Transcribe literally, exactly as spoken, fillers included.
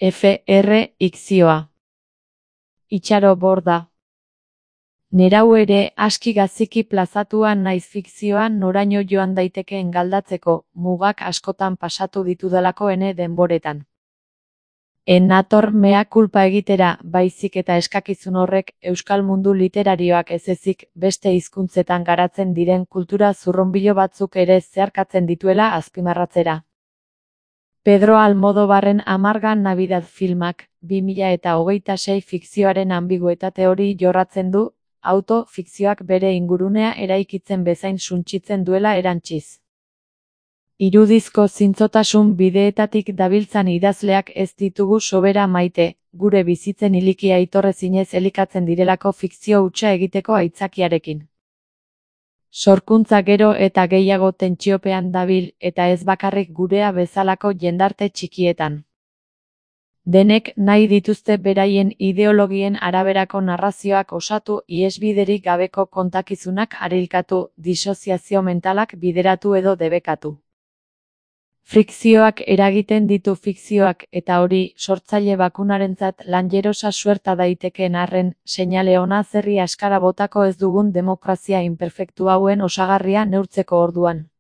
F R ikzioa. Itxaro Borda. Nerau ere aski gaziki plazatuan naiz fikzioan noraino joan daitekeen galdatzeko, mugak askotan pasatu ditudalako ene denboretan. En nator mea kulpa egitera, baizik eta eskakizun horrek euskal mundu literarioak ez ezik beste hizkuntzetan garatzen diren kultura zurrunbilo batzuk ere zeharkatzen dituela azpimarratzera. Pedro Almodóvarren Amargan Navidad filmak, bi mila eta hogeita sei fikzioaren ambiguetate hori jorratzen du, auto-fikzioak bere ingurunea eraikitzen bezain suntsitzen duela erantziz. Irudizko zintzotasun bideetatik dabiltzan idazleak ez ditugu sobera maite, gure bizitzen ilikia itorrezinez elikatzen direlako fikzio hutsa egiteko aitzakiarekin. Sorkuntza gero eta gehiago tentsiopean dabil, eta ez bakarrik gurea bezalako jendarte txikietan. Denek nahi dituzte beraien ideologien araberako narrazioak osatu, ihesbiderik gabeko kontakizunak arilkatu, disoziazio mentalak bideratu edo debekatu. Frikzioak eragiten ditu fikzioak, eta hori, sortzaile bakunarentzat lanjerosa suerta daitekeen arren, seinale ona zerri askara botako ez dugun demokrazia inperfektu hauen osagarria neurtzeko orduan.